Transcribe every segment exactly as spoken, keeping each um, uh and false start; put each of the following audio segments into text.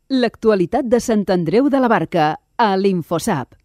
L'actualitat de Sant Andreu de la Barca, a l'Infosap.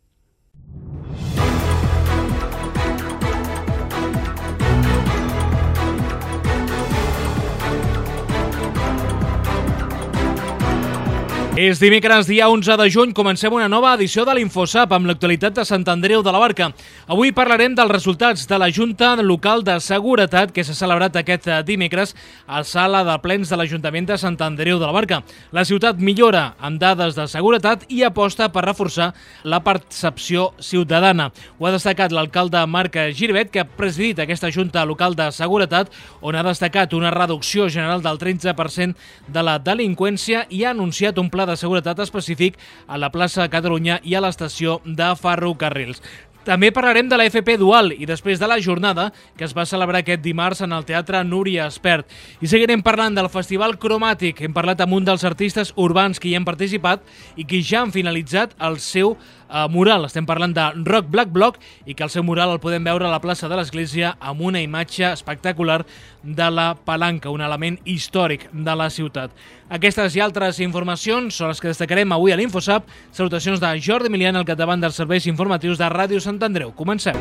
És dimecres, dia onze de juny, comencem una nova edició de l'Infosap amb l'actualitat de Sant Andreu de la Barca. Avui parlarem dels resultats de la Junta Local de Seguretat que s'ha celebrat aquest dimecres a la sala de plens de l'Ajuntament de Sant Andreu de la Barca. La ciutat millora amb dades de seguretat i aposta per reforçar la percepció ciutadana. Ho ha destacat l'alcalde Marc Giribet, que ha presidit aquesta Junta Local de Seguretat, on ha destacat una reducció general del tretze per cent de la delinqüència i ha anunciat un pla de seguretat específic a la plaça Catalunya i a l'estació de ferrocarrils. També parlarem de la F P Dual i després de la jornada que es va celebrar aquest dimarts en el Teatre Núria Espert. I seguirem parlant del Festival Cromàtic. Hem parlat amb un dels artistes urbans que hi han participat i que ja han finalitzat el seu uh, mural. Estem parlant de Rock Black Block i que el seu mural el podem veure a la plaça de l'Església amb una imatge espectacular de la palanca, un element històric de la ciutat. Aquestes i altres informacions són les que destacarem avui a l'Infosap. Salutacions de Jordi Milian, al capdavant dels serveis informatius de Ràdio Sant Andreu. Comencem.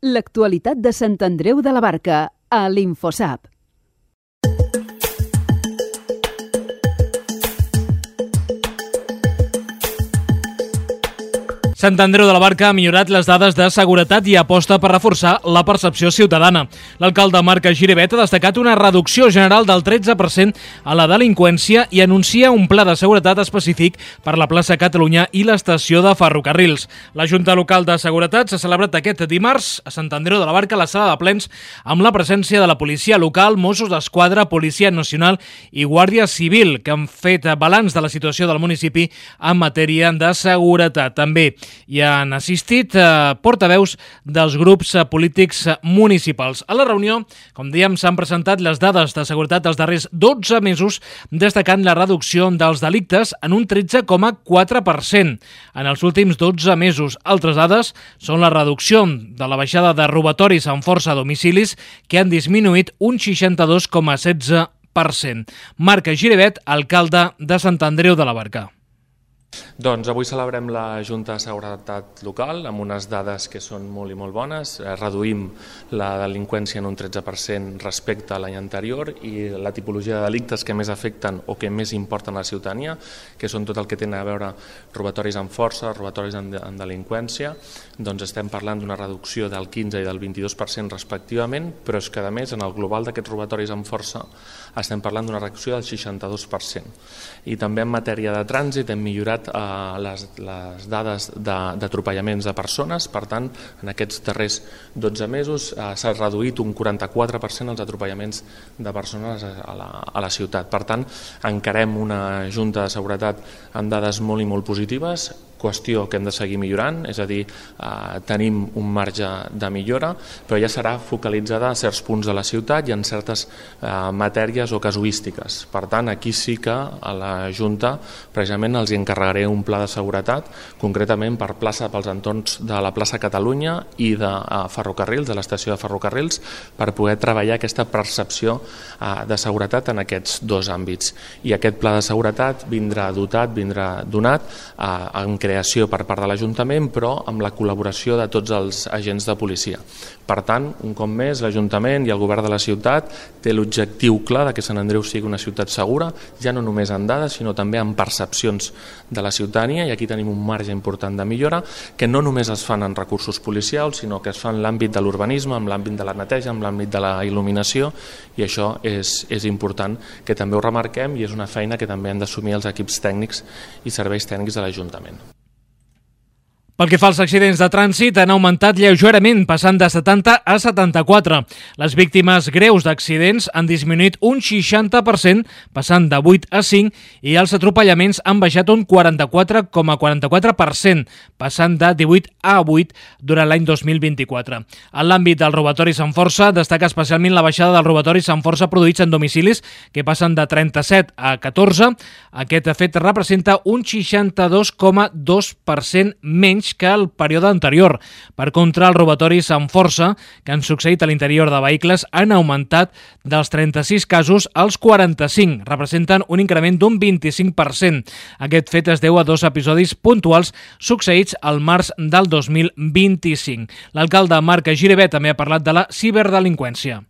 L'actualitat de Sant Andreu de la Barca, a l'Infosap. Sant Andreu de la Barca ha millorat les dades de seguretat i aposta per reforçar la percepció ciutadana. L'alcalde Marc Giribet ha destacat una reducció general del tretze per cent a la delinqüència i anuncia un pla de seguretat específic per la plaça Catalunya i l'estació de ferrocarrils. La Junta Local de Seguretat s'ha celebrat aquest dimarts a Sant Andreu de la Barca a la sala de plens amb la presència de la policia local, Mossos d'Esquadra, Policia Nacional i Guàrdia Civil, que han fet balanç de la situació del municipi en matèria de seguretat. També hi han assistit eh, portaveus dels grups eh, polítics eh, municipals. A la reunió, com dèiem, s'han presentat les dades de seguretat dels darrers dotze mesos, destacant la reducció dels delictes en un tretze coma quatre per cent en els últims dotze mesos. Altres dades són la reducció de la baixada de robatoris amb força a domicilis, que han disminuït un seixanta-dos coma setze per cent. Marc Giribet, alcalde de Sant Andreu de la Barca. Doncs avui celebrem la Junta de Seguretat Local amb unes dades que són molt i molt bones. Reduïm la delinqüència en un tretze per cent respecte a l'any anterior i la tipologia de delictes que més afecten o que més importen a la ciutadania, que són tot el que tenen a veure robatoris amb força, robatoris en, en delinqüència, doncs estem parlant d'una reducció del quinze i del vint-i-dos per cent respectivament, però és que a més en el global d'aquests robatoris amb força estem parlant d'una reducció del seixanta-dos per cent. I també en matèria de trànsit hem millorat Uh, les, les dades d'atropellaments de, de persones. Per tant, en aquests darrers dotze mesos uh, s'ha reduït un quaranta-quatre per cent els atropellaments de persones a la, a la ciutat. Per tant, encarem una Junta de Seguretat amb dades molt i molt positives, qüestió que hem de seguir millorant, és a dir, eh, tenim un marge de millora, però ja serà focalitzada a certs punts de la ciutat i en certes eh, matèries o casuístiques. Per tant, aquí sí que a la Junta precisament els encarregaré un pla de seguretat, concretament per plaça, pels entorns de la plaça Catalunya i de eh, ferrocarrils, de l'estació de ferrocarrils, per poder treballar aquesta percepció eh, de seguretat en aquests dos àmbits. I aquest pla de seguretat vindrà dotat, vindrà donat eh, en creació per part de l'Ajuntament, però amb la col·laboració de tots els agents de policia. Per tant, un cop més, l'Ajuntament i el Govern de la ciutat té l'objectiu clar de que Sant Andreu sigui una ciutat segura, ja no només en dades, sinó també en percepcions de la ciutadania, i aquí tenim un marge important de millora, que no només es fan en recursos policials, sinó que es fa en l'àmbit de l'urbanisme, en l'àmbit de la neteja, en l'àmbit de la il·luminació, i això és, és important que també ho remarquem, i és una feina que també han d'assumir els equips tècnics i serveis tècnics de l'Ajuntament. Pel que fa als accidents de trànsit, han augmentat lleugerament, passant de setanta a setanta-quatre. Les víctimes greus d'accidents han disminuït un seixanta per cent, passant de vuit a cinc, i els atropellaments han baixat un quaranta-quatre coma quaranta-quatre per cent, passant de divuit a vuit durant l'any dos mil vint-i-quatre. En l'àmbit dels robatoris amb força, destaca especialment la baixada dels robatoris amb força produïts en domicilis, que passen de trenta-set a catorze. Aquest fet representa un seixanta-dos coma dos per cent menys mateix que el període anterior. Per contra, els robatoris amb força que han succeït a l'interior de vehicles han augmentat dels trenta-sis casos als quaranta-cinc, representen un increment d'un vint-i-cinc per cent. Aquest fet es deu a dos episodis puntuals succeïts al març del dos mil vint-i-cinc. L'alcalde Marc Giribet també ha parlat de la ciberdelinqüència.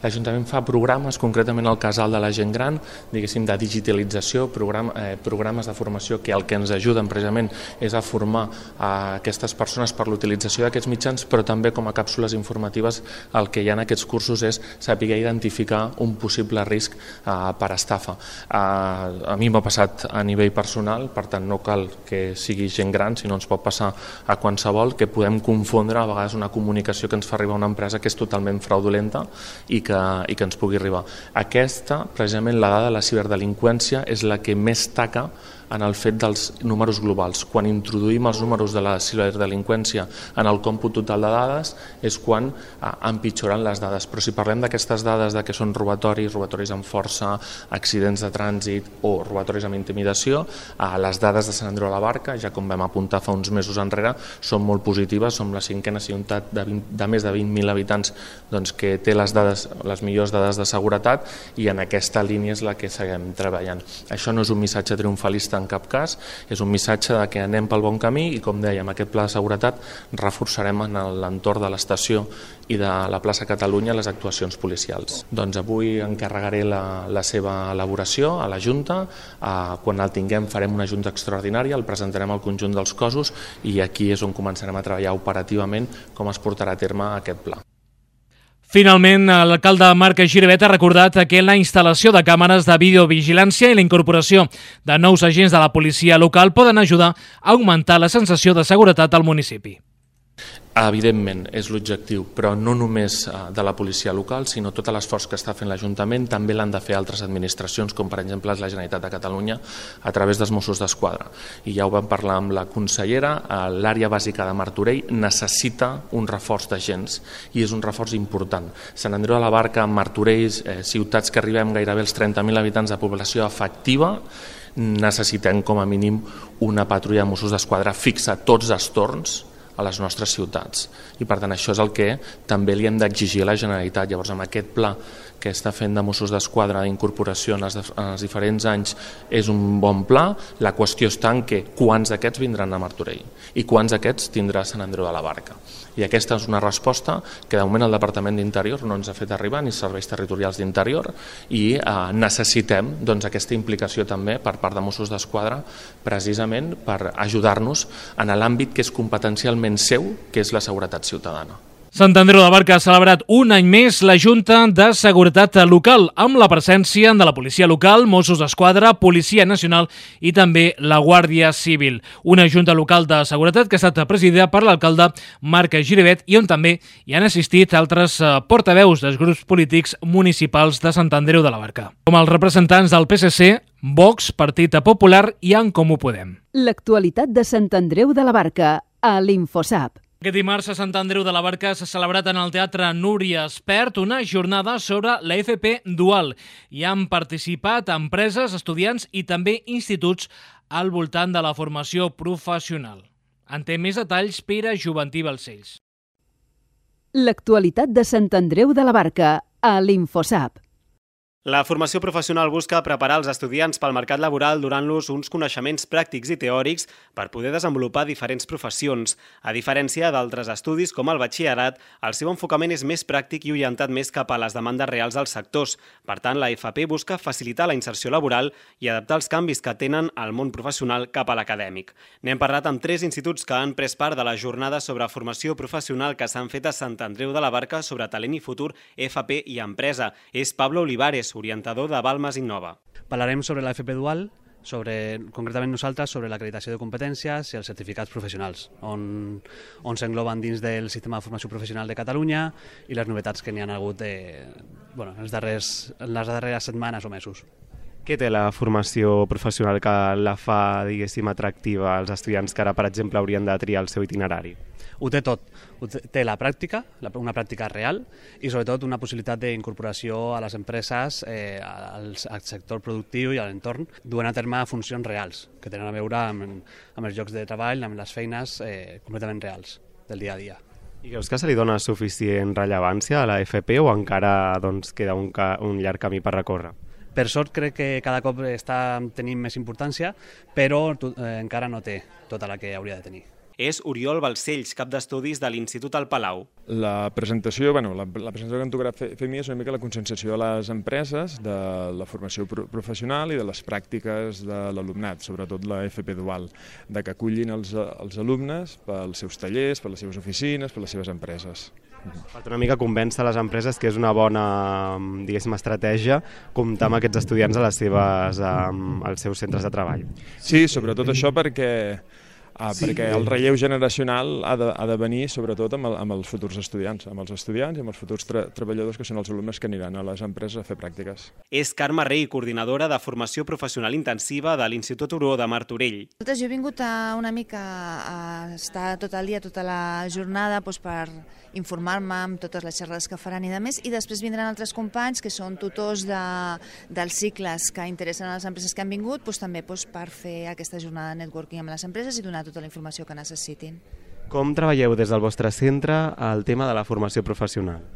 L'Ajuntament fa programes, concretament el casal de la gent gran, diguéssim, de digitalització, program, eh, programes de formació que el que ens ajuden precisament és a formar a aquestes persones per l'utilització d'aquests mitjans, però també com a càpsules informatives el que hi ha en aquests cursos és saber identificar un possible risc eh, per estafa. Eh, a mi m'ha passat a nivell personal, per tant no cal que sigui gent gran, sinó ens pot passar a qualsevol, que podem confondre a vegades una comunicació que ens fa arribar a una empresa que és totalment fraudulenta i que, i que ens pugui arribar. Aquesta, precisament la dada de la ciberdelinqüència, és la que més taca en el fet dels números globals. Quan introduïm els números de la ciberdelinqüència en el còmput total de dades és quan eh, empitjoren les dades. Però si parlem d'aquestes dades de que són robatoris, robatoris amb força, accidents de trànsit o robatoris amb intimidació, eh, les dades de Sant Andreu de la Barca, ja com vam apuntar fa uns mesos enrere, són molt positives. Som la cinquena ciutat de, vint, de més de vint mil habitants doncs, que té les dades, les millors dades de seguretat, i en aquesta línia és la que seguim treballant. Això no és un missatge triomfalista en cap cas, és un missatge de que anem pel bon camí i, com dèiem, aquest pla de seguretat reforçarem en l'entorn de l'estació i de la plaça Catalunya les actuacions policials. Doncs avui encarregaré la, la seva elaboració a la Junta, eh, quan el tinguem farem una Junta extraordinària, el presentarem al conjunt dels cossos i aquí és on començarem a treballar operativament com es portarà a terme aquest pla. Finalment, l'alcalde Marc Giribet ha recordat que la instal·lació de càmeres de videovigilància i la incorporació de nous agents de la policia local poden ajudar a augmentar la sensació de seguretat al municipi. Evidentment, és l'objectiu, però no només de la policia local, sinó tot l'esforç que està fent l'Ajuntament també l'han de fer altres administracions, com per exemple la Generalitat de Catalunya, a través dels Mossos d'Esquadra. I ja ho vam parlar amb la consellera, l'àrea bàsica de Martorell necessita un reforç d'agents i és un reforç important. Sant Andreu de la Barca, Martorell, eh, ciutats que arribem gairebé als trenta mil habitants de població efectiva, necessitem com a mínim una patrulla de Mossos d'Esquadra fixa tots els torns a les nostres ciutats. I per tant això és el que també li hem d'exigir a la Generalitat. Llavors amb aquest pla que està fent de Mossos d'Esquadra d'incorporació en, en els diferents anys és un bon pla. La qüestió està en què quants d'aquests vindran a Martorell i quants d'aquests tindrà Sant Andreu de la Barca. I aquesta és una resposta que de moment el Departament d'Interior no ens ha fet arribar, ni serveis territorials d'Interior, i eh, necessitem doncs, aquesta implicació també per part de Mossos d'Esquadra precisament per ajudar-nos en l'àmbit que és competencialment seu, que és la seguretat ciutadana. Sant Andreu de la Barca ha celebrat un any més la Junta de Seguretat Local, amb la presència de la Policia Local, Mossos d'Esquadra, Policia Nacional i també la Guàrdia Civil. Una Junta Local de Seguretat que ha estat presidida per l'alcalde Marc Giribet i on també hi han assistit altres portaveus dels grups polítics municipals de Sant Andreu de la Barca, com els representants del P S C, Vox, Partit Popular i En Comú Podem. L'actualitat de Sant Andreu de la Barca a l'InfoSap. Aquest dimarts a Sant Andreu de la Barca s'ha celebrat en el Teatre Núria Espert una jornada sobre la F P dual. Hi han participat empreses, estudiants i també instituts al voltant de la formació professional. En té més detalls Pere Juventí Balcells. L'actualitat de Sant Andreu de la Barca a l'InfoSap. La formació professional busca preparar els estudiants pel mercat laboral donant-los uns coneixements pràctics i teòrics per poder desenvolupar diferents professions. A diferència d'altres estudis com el batxillerat, el seu enfocament és més pràctic i orientat més cap a les demandes reals dels sectors. Per tant, la F P busca facilitar la inserció laboral i adaptar els canvis que tenen al món professional cap a l'acadèmic. N'hem parlat amb tres instituts que han pres part de la jornada sobre formació professional que s'han fet a Sant Andreu de la Barca sobre talent i futur, F P i empresa. És Pablo Olivares, orientador de Balmes Innova. Parlarem sobre la F P dual, sobre, concretament nosaltres, sobre l'acreditació de competències i els certificats professionals, on, on s'engloben dins del sistema de formació professional de Catalunya i les novetats que n'hi ha hagut de, bueno, en, els darrers, en les darreres setmanes o mesos. Què té la formació professional que la fa, diguéssim, atractiva als estudiants que ara, per exemple, haurien de triar el seu itinerari? ho té tot. Ho té la pràctica, una pràctica real, i sobretot una possibilitat d'incorporació a les empreses, eh, al, al sector productiu i a l'entorn, duent a terme funcions reals, que tenen a veure amb, amb els llocs de treball, amb les feines eh, completament reals del dia a dia. I creus que se li dona suficient rellevància a la F P o encara doncs, queda un, ca un llarg camí per recórrer? Per sort crec que cada cop està tenint més importància, però eh, encara no té tota la que hauria de tenir. És Oriol Balcells, cap d'estudis de l'Institut al Palau. La presentació, bueno, la, la presentació que em tocarà fer, fer a mi és una mica la conscienciació de les empreses, de la formació pro professional i de les pràctiques de l'alumnat, sobretot la F P dual, de que acullin els, els alumnes pels seus tallers, per les seves oficines, per les seves empreses. Per una mica convèncer les empreses que és una bona, diguéssim, estratègia comptar amb aquests estudiants a les seves, als seus centres de treball. Sí, sobretot això perquè Ah, sí, perquè el relleu generacional ha de, ha de venir sobretot amb, el, amb els futurs estudiants, amb els estudiants i amb els futurs tra treballadors que són els alumnes que aniran a les empreses a fer pràctiques. És Carme Rey, coordinadora de formació professional intensiva de l'Institut Oró de Martorell. Jo he vingut a una mica a estar tot el dia, tota la jornada, doncs per informar-me amb totes les xerrades que faran i de més, i després vindran altres companys que són tutors de, dels cicles que interessen a les empreses que han vingut, doncs també doncs, per fer aquesta jornada de networking amb les empreses i donar tota la informació que necessitin. Com treballeu des del vostre centre el tema de la formació professional?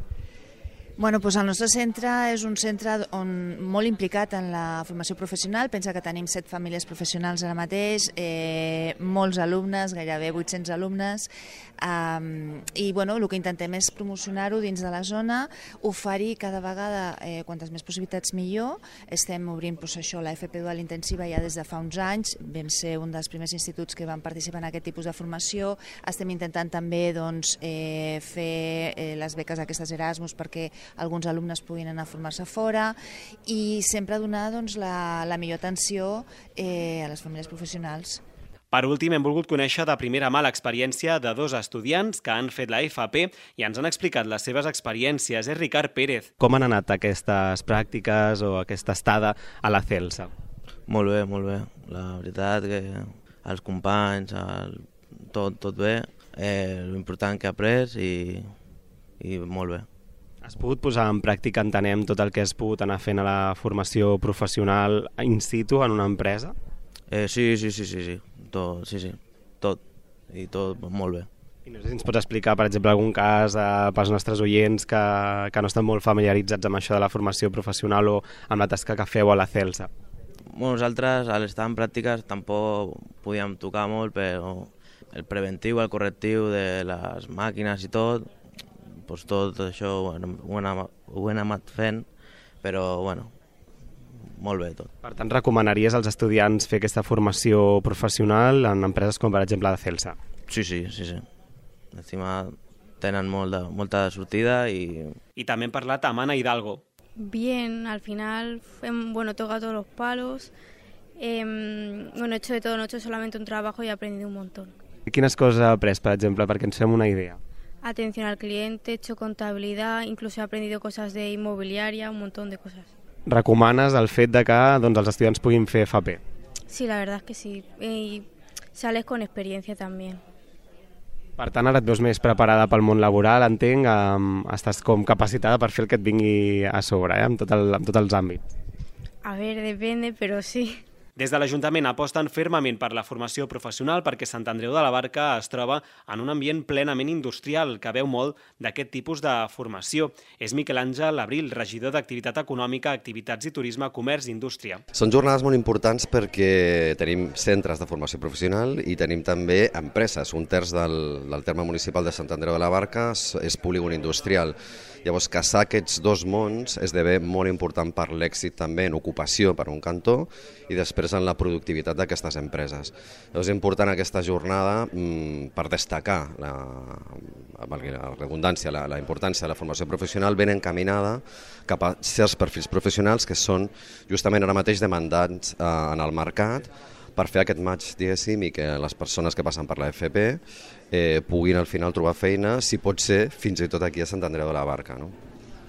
Bueno, doncs el nostre centre és un centre on, molt implicat en la formació professional. Pensa que tenim set famílies professionals ara mateix, eh, molts alumnes, gairebé vuit-cents alumnes, eh, i bueno, el que intentem és promocionar-ho dins de la zona, oferir cada vegada eh, quantes més possibilitats millor. Estem obrint doncs, això, la F P dual intensiva ja des de fa uns anys, vam ser un dels primers instituts que van participar en aquest tipus de formació. Estem intentant també doncs, eh, fer eh, les beques aquestes Erasmus perquè alguns alumnes puguin anar a formar-se fora i sempre donar doncs, la, la millor atenció eh, a les famílies professionals. Per últim, hem volgut conèixer de primera mà l'experiència de dos estudiants que han fet la F P i ens han explicat les seves experiències. És Ricard Pérez. Com han anat aquestes pràctiques o aquesta estada a la Celsa? Molt bé, molt bé. La veritat que els companys, el, tot, tot bé, eh, l'important que he après i, i molt bé. Has pogut posar en pràctica, entenem, tot el que has pogut anar fent a la formació professional in situ en una empresa? Eh, sí, sí, sí, sí, sí, tot, sí, sí, tot, i tot molt bé. I no sé si ens pots explicar, per exemple, algun cas eh, pels nostres oients que, que no estan molt familiaritzats amb això de la formació professional o amb la tasca que feu a la Celsa. Bueno, nosaltres, al estar en pràctiques, tampoc podíem tocar molt, però el preventiu, el correctiu de les màquines i tot, doncs tot això ho hem, ho hem anat fent, però bueno, molt bé tot. Per tant, recomanaries als estudiants fer aquesta formació professional en empreses com per exemple la Celsa? Sí, sí, sí, sí. Encima tenen molt de, molta sortida y... Y también parlat amb Ana Hidalgo. Bien, al final hem, bueno, tocado todos los palos, eh, bueno, he hecho de todo, no he hecho solamente un trabajo y he aprendido un montón. Quines coses has après, per exemple, perquè ens fem una idea? Atención al cliente, he hecho contabilidad, incluso he aprendido cosas de inmobiliaria, un montón de cosas. Recomanes el fet de que doncs, els estudiants puguin fer F P? Sí, la verdad es que sí, y sales con experiencia también. Per tant, ara et veus més preparada pel món laboral, entenc, um, estàs com capacitada per fer el que et vingui a sobre, eh, amb, tot el, amb tots els àmbits. A ver, depende, pero sí. Des de l'Ajuntament aposten fermament per la formació professional perquè Sant Andreu de la Barca es troba en un ambient plenament industrial que veu molt d'aquest tipus de formació. És Miquel Àngel Abril, regidor d'Activitat Econòmica, Activitats i Turisme, Comerç i Indústria. Són jornades molt importants perquè tenim centres de formació professional i tenim també empreses. Un terç del, del terme municipal de Sant Andreu de la Barca és, és polígon industrial. Llavors, casar aquests dos mons esdevé molt important per l'èxit també en ocupació per un cantó i després en la productivitat d'aquestes empreses. Llavors, és important aquesta jornada mmm, per destacar la, la redundància, la, la importància de la formació professional ben encaminada cap a certs perfils professionals que són justament ara mateix demandats eh, en el mercat per fer aquest match, diguéssim, i que les persones que passen per la F P eh, puguin al final trobar feina, si pot ser, fins i tot aquí a Sant Andreu de la Barca. No?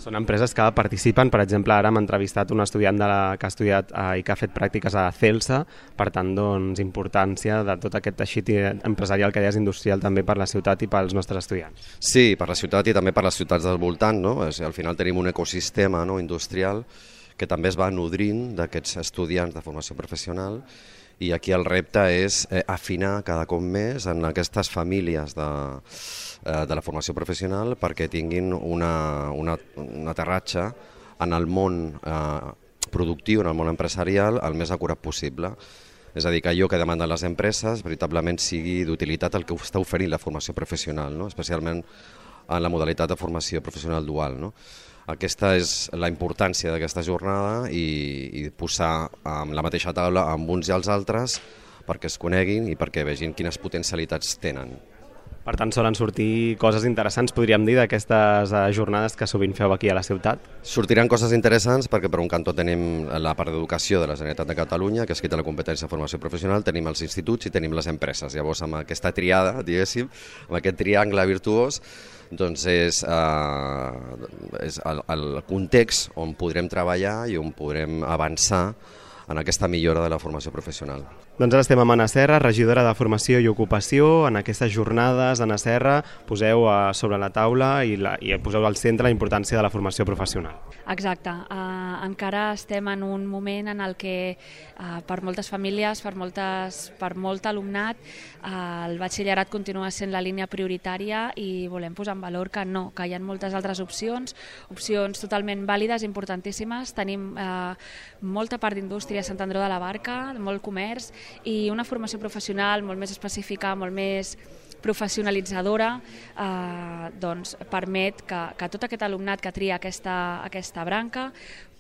Són empreses que participen, per exemple, ara hem entrevistat un estudiant de la, que ha estudiat eh, i que ha fet pràctiques a Celsa, per tant, doncs, importància de tot aquest teixit empresarial que deies industrial també per la ciutat i pels nostres estudiants. Sí, per la ciutat i també per les ciutats del voltant, no? És, al final tenim un ecosistema, no, industrial que també es va nodrint d'aquests estudiants de formació professional, i aquí el repte és eh, afinar cada cop més en aquestes famílies de, eh, de la formació professional perquè tinguin una, una, un aterratge en el món eh, productiu, en el món empresarial, el més acurat possible. És a dir, que allò que demanden les empreses veritablement sigui d'utilitat el que està oferint la formació professional, no? Especialment en la modalitat de formació professional dual, no? Aquesta és la importància d'aquesta jornada i, i posar amb la mateixa taula amb uns i els altres perquè es coneguin i perquè vegin quines potencialitats tenen. Per tant, solen sortir coses interessants, podríem dir, d'aquestes jornades que sovint feu aquí a la ciutat? Sortiran coses interessants perquè per un cantó tenim la part d'educació de la Generalitat de Catalunya, que és qui té la competència de formació professional, tenim els instituts i tenim les empreses. Llavors, amb aquesta triada, diguéssim, amb aquest triangle virtuós, doncs és, eh, és el, el context on podrem treballar i on podrem avançar en aquesta millora de la formació professional. Doncs ara estem amb Anna Serra, regidora de Formació i Ocupació. En aquestes jornades, Anna Serra, poseu sobre la taula i, la, i poseu al centre la importància de la formació professional. Exacte. Uh, encara estem en un moment en el que uh, per moltes famílies, per, moltes, per molt alumnat, uh, el batxillerat continua sent la línia prioritària i volem posar en valor que no, que hi ha moltes altres opcions, opcions totalment vàlides, importantíssimes. Tenim uh, molta part d'indústria a Sant Andreu de la Barca, molt comerç, i una formació professional molt més específica, molt més professionalitzadora, eh, doncs permet que, que tot aquest alumnat que tria aquesta, aquesta branca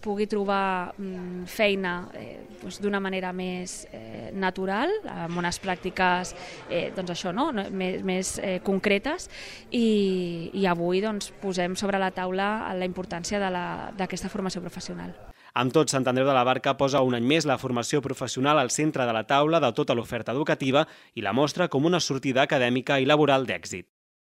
pugui trobar mm, feina eh, doncs d'una manera més eh, natural, amb unes pràctiques eh, doncs això, no? més, més eh, concretes, i, i avui doncs, posem sobre la taula la importància d'aquesta formació professional. Amb tot, Sant Andreu de la Barca posa un any més la formació professional al centre de la taula de tota l'oferta educativa i la mostra com una sortida acadèmica i laboral d'èxit.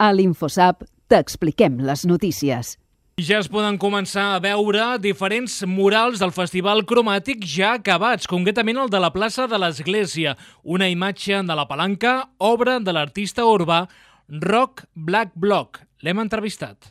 A l'InfoSap t'expliquem les notícies. Ja es poden començar a veure diferents murals del Festival Cromàtic ja acabats, concretament el de la plaça de l'Església, una imatge de la Palanca, obra de l'artista urbà Rock Black Block. L'hem entrevistat.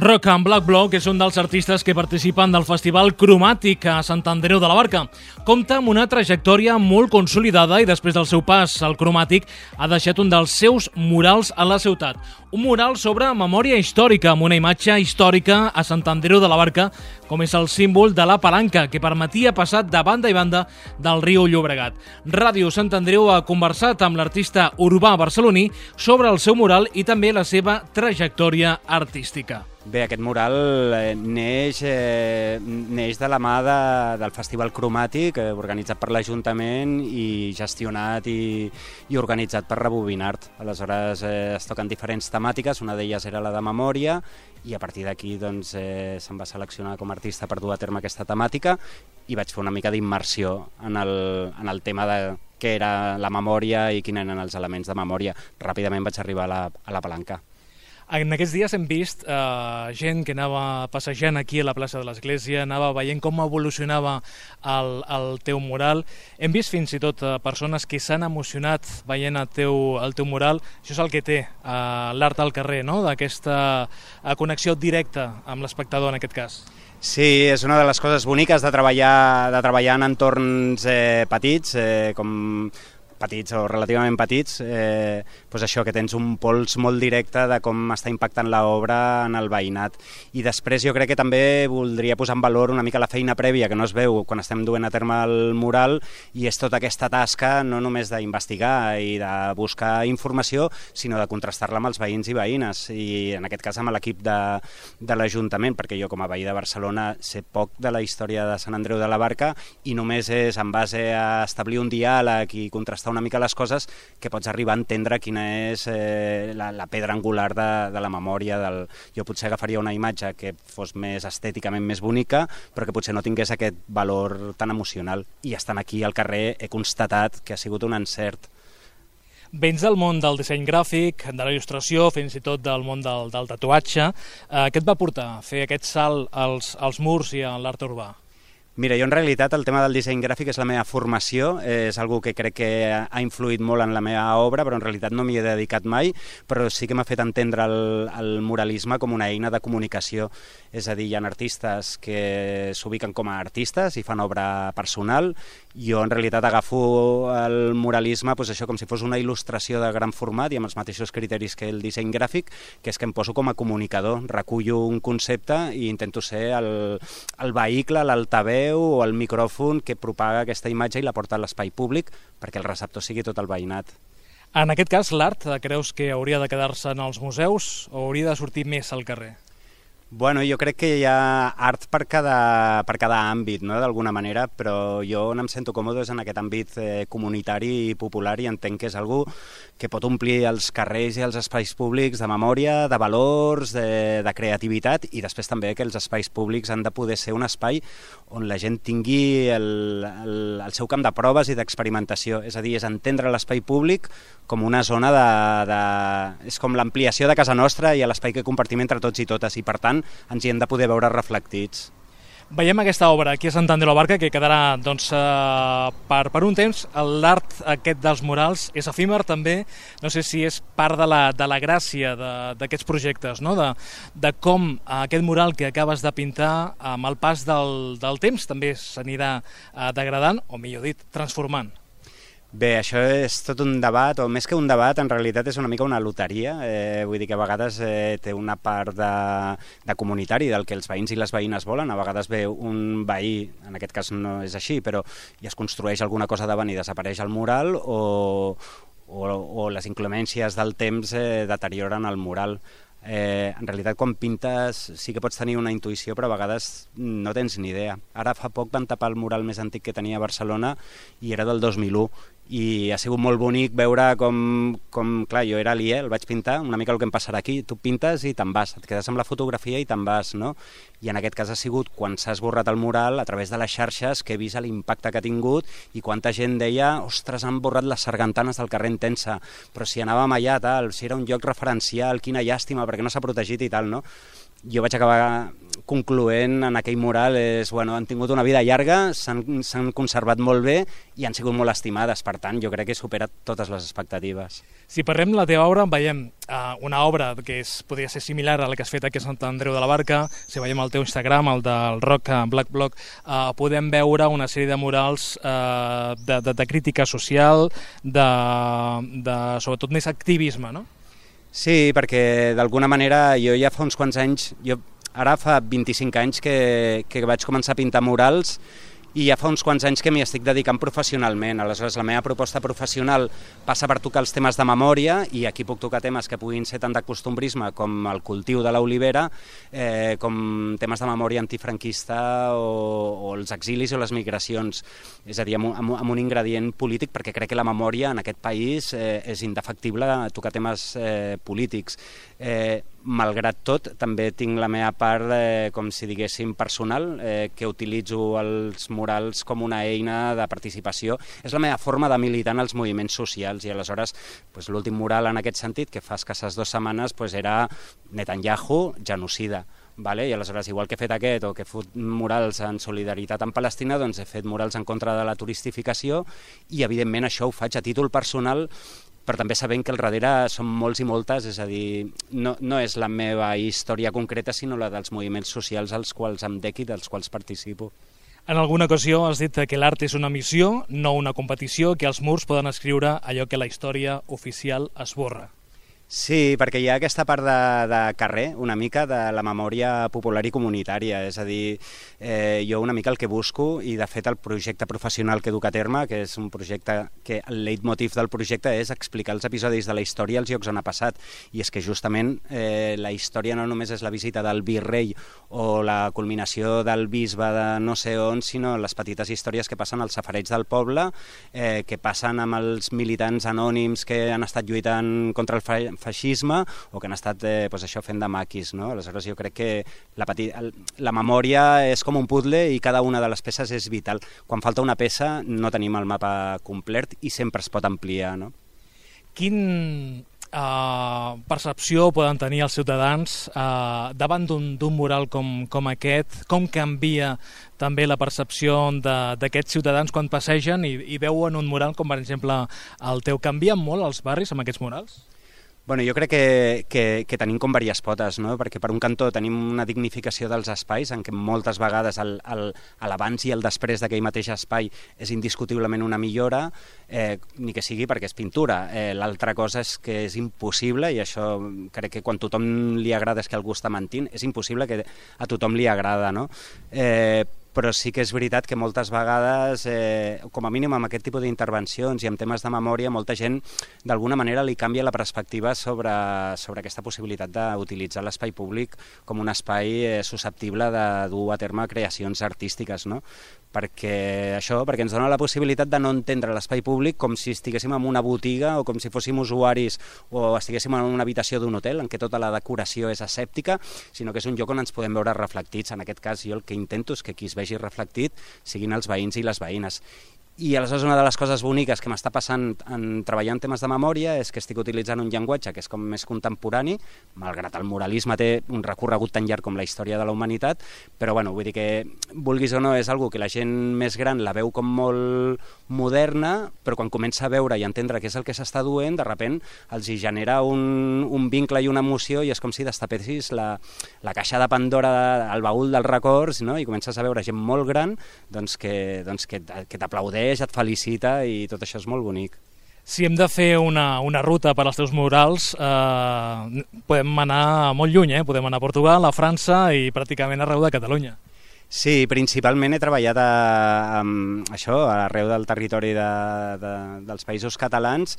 Rock and Black Block és un dels artistes que participen del Festival Cromàtic a Sant Andreu de la Barca. Compta amb una trajectòria molt consolidada i després del seu pas al Cromàtic ha deixat un dels seus murals a la ciutat. Un mural sobre memòria històrica, amb una imatge històrica a Sant Andreu de la Barca, com és el símbol de la Palanca, que permetia passar de banda i banda del riu Llobregat. Ràdio Sant Andreu ha conversat amb l'artista urbà barceloní sobre el seu mural i també la seva trajectòria artística. Bé, aquest mural neix, eh, neix de la mà de, del Festival Cromàtic, eh, organitzat per l'Ajuntament i gestionat i, i organitzat per Rebobinart. Aleshores eh, es toquen diferents temàtiques, una d'elles era la de memòria, i a partir d'aquí doncs, eh, se'm va seleccionar com a artista per dur a terme aquesta temàtica i vaig fer una mica d'immersió en, el, en el tema de què era la memòria i quins eren els elements de memòria. Ràpidament vaig arribar a la, a la Palanca. En aquests dies hem vist eh, gent que anava passejant aquí a la plaça de l'Església, anava veient com evolucionava el, el teu mural. Hem vist fins i tot eh, persones que s'han emocionat veient el teu, el teu mural. Això és el que té eh, l'art al carrer, no? D'aquesta eh, connexió directa amb l'espectador en aquest cas. Sí, és una de les coses boniques de treballar, de treballar en entorns eh, petits, eh, com petits o relativament petits, eh, doncs això, que tens un pols molt directe de com està impactant l'obra en el veïnat. I després jo crec que també voldria posar en valor una mica la feina prèvia que no es veu quan estem duent a terme el mural, i és tota aquesta tasca no només d'investigar i de buscar informació, sinó de contrastar-la amb els veïns i veïnes, i en aquest cas amb l'equip de, de l'Ajuntament, perquè jo com a veí de Barcelona sé poc de la història de Sant Andreu de la Barca i només és en base a establir un diàleg i contrastar contrastar una mica les coses, que pots arribar a entendre quina és eh, la, la pedra angular de, de la memòria. Del... Jo potser agafaria una imatge que fos més estèticament més bonica, però que potser no tingués aquest valor tan emocional. I estant aquí al carrer he constatat que ha sigut un encert. Vens del món del disseny gràfic, de la il·lustració, fins i tot del món del, del tatuatge. Eh, què et va portar a fer aquest salt als, als murs i a l'art urbà? Mira, jo en realitat el tema del disseny gràfic és la meva formació, és algo que crec que ha influït molt en la meva obra, però en realitat no m'hi he dedicat mai, però sí que m'ha fet entendre el, el muralisme com una eina de comunicació. És a dir, hi ha artistes que s'ubiquen com a artistes i fan obra personal. Jo en realitat agafo el muralisme doncs això, com si fos una il·lustració de gran format i amb els mateixos criteris que el disseny gràfic, que és que em poso com a comunicador, recullo un concepte i intento ser el, el vehicle, l'altaveu o el micròfon que propaga aquesta imatge i la porta a l'espai públic perquè el receptor sigui tot el veïnat. En aquest cas, l'art creus que hauria de quedar-se en els museus o hauria de sortir més al carrer? Bueno, jo crec que hi ha art per cada, per cada àmbit, no?, d'alguna manera, però jo on em sento còmode és en aquest àmbit eh, comunitari i popular i entenc que és algú que pot omplir els carrers i els espais públics de memòria, de valors, de, de creativitat i després també que els espais públics han de poder ser un espai on la gent tingui el, el, el seu camp de proves i d'experimentació, és a dir, és entendre l'espai públic com una zona de... de és com l'ampliació de casa nostra i l'espai que compartim entre tots i totes i per tant ens hi hem de poder veure reflectits. Veiem aquesta obra aquí a Sant Andreu de la Barca que quedarà doncs, eh, per, per un temps. L'art aquest dels murals és efímer també, no sé si és part de la, de la gràcia d'aquests projectes, no? de, de com aquest mural que acabes de pintar amb el pas del, del temps també s'anirà eh, degradant, o millor dit, transformant. Bé, això és tot un debat, o més que un debat, en realitat és una mica una loteria. Eh, vull dir que a vegades eh, té una part de, de comunitari, del que els veïns i les veïnes volen. A vegades ve un veí, en aquest cas no és així, però i es construeix alguna cosa davant i desapareix el mural, o, o, o les inclemències del temps eh, deterioren el mural. Eh, en realitat quan pintes sí que pots tenir una intuïció però a vegades no tens ni idea. Ara fa poc van tapar el mural més antic que tenia a Barcelona i era del dos mil u i ha sigut molt bonic veure com, com clar, jo era aliè, el vaig pintar, una mica el que em passarà aquí, tu pintes i te'n vas, et quedes amb la fotografia i te'n vas, no? I en aquest cas ha sigut quan s'ha esborrat el mural a través de les xarxes que he vist l'impacte que ha tingut i quanta gent deia, ostres, han borrat les sargantanes del carrer Intensa, però si anàvem allà, tal, si era un lloc referencial, quina llàstima, perquè no s'ha protegit i tal, no? Jo vaig acabar concloent en aquell mural, és, bueno, han tingut una vida llarga, s'han conservat molt bé i han sigut molt estimades, per tant, jo crec que he superat totes les expectatives. Si parlem de la teva obra, veiem uh, una obra que és, podria ser similar a la que has fet aquí a Sant Andreu de la Barca, si veiem el teu Instagram, el del Rock Black Block, uh, podem veure una sèrie de murals uh, de, de, de crítica social, de, de sobretot més activisme, no? Sí, perquè d'alguna manera jo ja fa uns quants anys, jo ara fa vint-i-cinc anys que, que vaig començar a pintar murals i ja fa uns quants anys que m'hi estic dedicant professionalment. Aleshores, la meva proposta professional passa per tocar els temes de memòria i aquí puc tocar temes que puguin ser tant de costumbrisme com el cultiu de l'olivera, eh, com temes de memòria antifranquista o, o els exilis o les migracions. És a dir, amb, amb, amb un ingredient polític, perquè crec que la memòria en aquest país eh, és indefectible tocar temes eh, polítics. Eh, malgrat tot, també tinc la meva part, eh, com si diguéssim, personal, eh, que utilitzo els murals com una eina de participació. És la meva forma de militar en els moviments socials i aleshores pues, l'últim mural en aquest sentit, que fa escasses dues setmanes, pues, era Netanyahu, genocida. Vale? I aleshores, igual que he fet aquest o que he fet murals en solidaritat amb Palestina, doncs he fet murals en contra de la turistificació i evidentment això ho faig a títol personal, però també sabent que al darrere són molts i moltes, és a dir, no, no és la meva història concreta, sinó la dels moviments socials als quals em dec i dels quals participo. En alguna ocasió has dit que l'art és una missió, no una competició, que els murs poden escriure allò que la història oficial esborra. Sí, perquè hi ha aquesta part de, de carrer, una mica de la memòria popular i comunitària, és a dir, eh, jo una mica el que busco, i de fet el projecte professional que duc a terme, que és un projecte que el leitmotiv del projecte és explicar els episodis de la història als llocs on ha passat, i és que justament eh, la història no només és la visita del virrei o la culminació del bisbe de no sé on, sinó les petites històries que passen als safareigs del poble, eh, que passen amb els militants anònims que han estat lluitant contra el feixisme o que han estat eh, pues això, fent de maquis. No? Aleshores jo crec que la, petit, la memòria és com un puzzle i cada una de les peces és vital. Quan falta una peça no tenim el mapa complet i sempre es pot ampliar. No? Quin uh, percepció poden tenir els ciutadans uh, davant d'un mural com, com aquest? Com canvia també la percepció d'aquests ciutadans quan passegen i, i veuen un mural com per exemple el teu? Canvien molt els barris amb aquests murals? Bueno, jo crec que, que, que tenim com diverses potes, no? Perquè per un cantó tenim una dignificació dels espais en què moltes vegades l'abans i el després d'aquell mateix espai és indiscutiblement una millora, eh, ni que sigui perquè és pintura. Eh, L'altra cosa és que és impossible, i això crec que quan tothom li agrada és que algú està mentint, és impossible que a tothom li agrada, no? Eh, però sí que és veritat que moltes vegades, eh, com a mínim amb aquest tipus d'intervencions i amb temes de memòria, molta gent d'alguna manera li canvia la perspectiva sobre, sobre aquesta possibilitat d'utilitzar l'espai públic com un espai eh, susceptible de dur a terme creacions artístiques, no? Perquè això, perquè ens dona la possibilitat de no entendre l'espai públic com si estiguéssim en una botiga o com si fóssim usuaris o estiguéssim en una habitació d'un hotel en què tota la decoració és asèptica, sinó que és un lloc on ens podem veure reflectits. En aquest cas jo el que intento és que qui es vegi reflectit siguin els veïns i les veïnes. I aleshores una de les coses boniques que m'està passant en treballar en temes de memòria és que estic utilitzant un llenguatge que és com més contemporani, malgrat el muralisme té un recorregut tan llarg com la història de la humanitat, però bueno, vull dir que, vulguis o no, és algo que la gent més gran la veu com molt moderna, però quan comença a veure i entendre què és el que s'està duent, de repent els hi genera un, un vincle i una emoció i és com si destapessis la, la caixa de Pandora, el baúl dels records, no? I comences a veure gent molt gran doncs, que, doncs, que, que t'aplaudeix, et felicita i tot això és molt bonic. Si hem de fer una, una ruta per als teus murals, eh, podem anar molt lluny, eh? Podem anar a Portugal, a França i pràcticament arreu de Catalunya. Sí, principalment he treballat a, a, això, arreu del territori de, de, dels països catalans,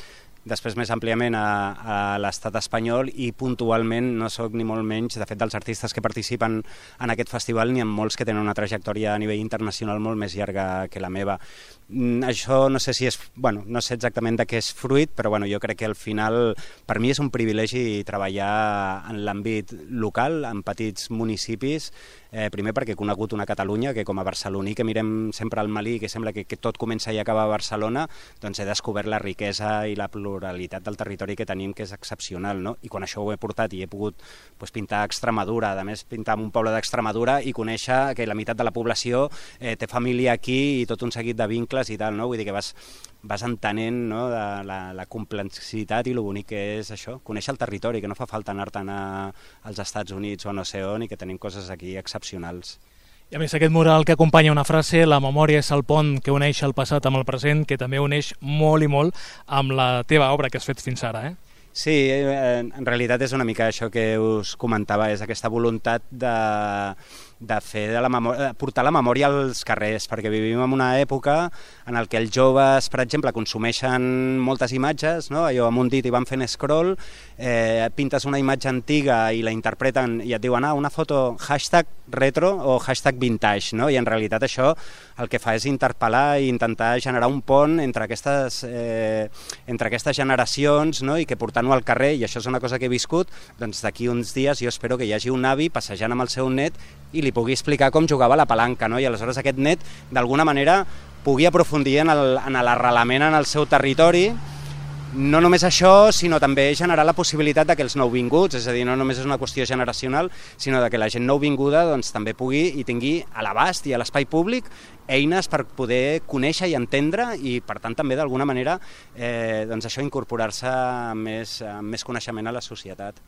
després més àmpliament a, a l'estat espanyol i puntualment no soc ni molt menys, de fet, dels artistes que participen en aquest festival n'hi ha molts que tenen una trajectòria a nivell internacional molt més llarga que la meva. Això no sé si és, bueno, no sé exactament de què és fruit, però bueno, jo crec que al final per mi és un privilegi treballar en l'àmbit local, en petits municipis, eh, primer perquè he conegut una Catalunya que com a barceloní que mirem sempre al Malí, que sembla que, que tot comença i acaba a Barcelona, doncs he descobert la riquesa i la pluralitat del territori que tenim, que és excepcional, no? I quan això ho he portat i he pogut pues, pintar a Extremadura, a més pintar en un poble d'Extremadura i conèixer que la meitat de la població eh, té família aquí i tot un seguit de vincles i tal, no? Vull dir que vas, vas entenent, no? de la, la complexitat i el bonic que és això, conèixer el territori, que no fa falta anar-te'n als Estats Units o no sé on i que tenim coses aquí excepcionals. I a més aquest mural que acompanya una frase, la memòria és el pont que uneix el passat amb el present, que també uneix molt i molt amb la teva obra que has fet fins ara, eh? Sí, en realitat és una mica això que us comentava, és aquesta voluntat de, de fer de la memòria, portar la memòria als carrers, perquè vivim en una època en el que els joves, per exemple, consumeixen moltes imatges, no? Allò amb un dit i van fent scroll, eh, pintes una imatge antiga i la interpreten i et diuen, ah, una foto hashtag retro o hashtag vintage, no? I en realitat això el que fa és interpel·lar i intentar generar un pont entre aquestes, eh, entre aquestes generacions, no? I que portant-ho al carrer, i això és una cosa que he viscut, doncs d'aquí uns dies jo espero que hi hagi un avi passejant amb el seu net i li pugui explicar com jugava a la palanca, no? I aleshores aquest net d'alguna manera pugui aprofundir en l'arrelament en el seu territori. No només això, sinó també generar la possibilitat de que els nouvinguts, és a dir, no només és una qüestió generacional, sinó de que la gent nouvinguda doncs, també pugui i tingui a l'abast i a l'espai públic eines per poder conèixer i entendre i, per tant, també d'alguna manera eh, doncs això incorporar-se amb més, amb més coneixement a la societat.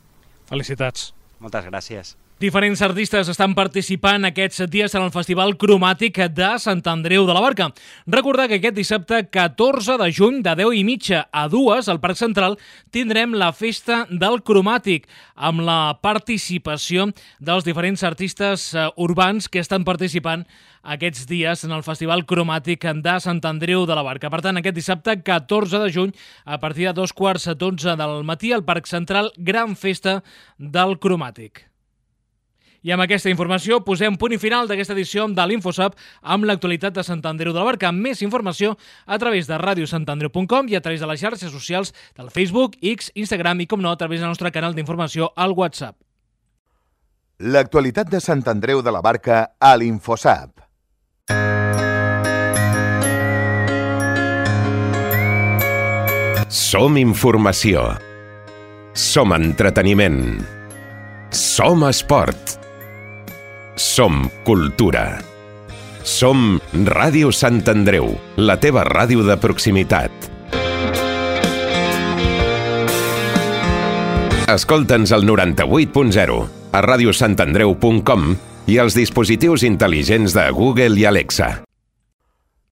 Felicitats. Moltes gràcies. Diferents artistes estan participant aquests dies en el Festival Cromàtic de Sant Andreu de la Barca. Recordar que aquest dissabte catorze de juny, de deu i mitja a dues, al Parc Central, tindrem la Festa del Cromàtic, amb la participació dels diferents artistes urbans que estan participant aquests dies en el Festival Cromàtic de Sant Andreu de la Barca. Per tant, aquest dissabte, catorze de juny, a partir de dos quarts a dotze del matí, al Parc Central, gran festa del Cromàtic. I amb aquesta informació posem punt i final d'aquesta edició de l'InfoSap amb l'actualitat de Sant Andreu de la Barca. Més informació a través de ràdio sant andreu punt com i a través de les xarxes socials del Facebook, X, Instagram i, com no, a través del nostre canal d'informació al WhatsApp. L'actualitat de Sant Andreu de la Barca a l'InfoSap. Som informació. Som entreteniment. Som esport. Som cultura. Som Ràdio Sant Andreu, la teva ràdio de proximitat. Escolta'ns al noranta-vuit punt zero, a radiosantandreu punt com i als dispositius intel·ligents de Google i Alexa.